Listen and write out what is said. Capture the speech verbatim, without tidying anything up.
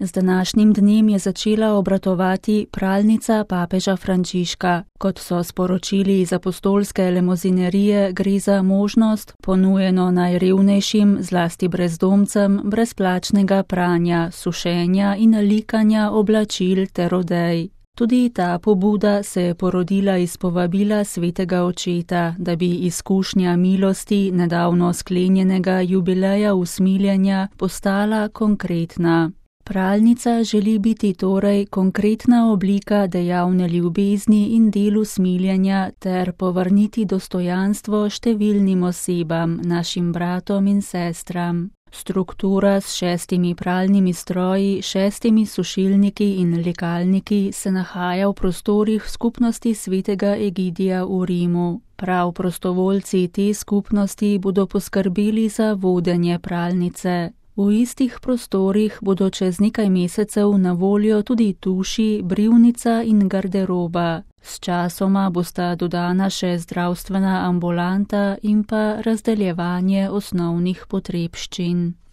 Z današnjim dnem je začela obratovati pralnica papeža Frančiška. Kot so sporočili iz apostolske lemozinerije, gre za možnost, ponujeno najrevnejšim, zlasti brezdomcem, brezplačnega pranja, sušenja in likanja oblačil ter odej. Tudi ta pobuda se je porodila iz povabila svetega očeta, da bi izkušnja milosti nedavno sklenjenega jubileja usmiljenja postala konkretna. Pralnica želi biti torej konkretna oblika dejavne ljubezni in delu smiljenja ter povrniti dostojanstvo številnim osebam, našim bratom in sestram. Struktura s šestimi pralnimi stroji, šestimi sušilniki in likalniki se nahaja v prostorih skupnosti svetega Egidija v Rimu. Prav prostovoljci te skupnosti bodo poskrbeli za vodenje pralnice. V istih prostorih bodo čez nekaj mesecev na voljo tudi tuši, brivnica in garderoba. Sčasoma bosta dodana še zdravstvena ambulanta in pa razdeljevanje osnovnih potrebščin.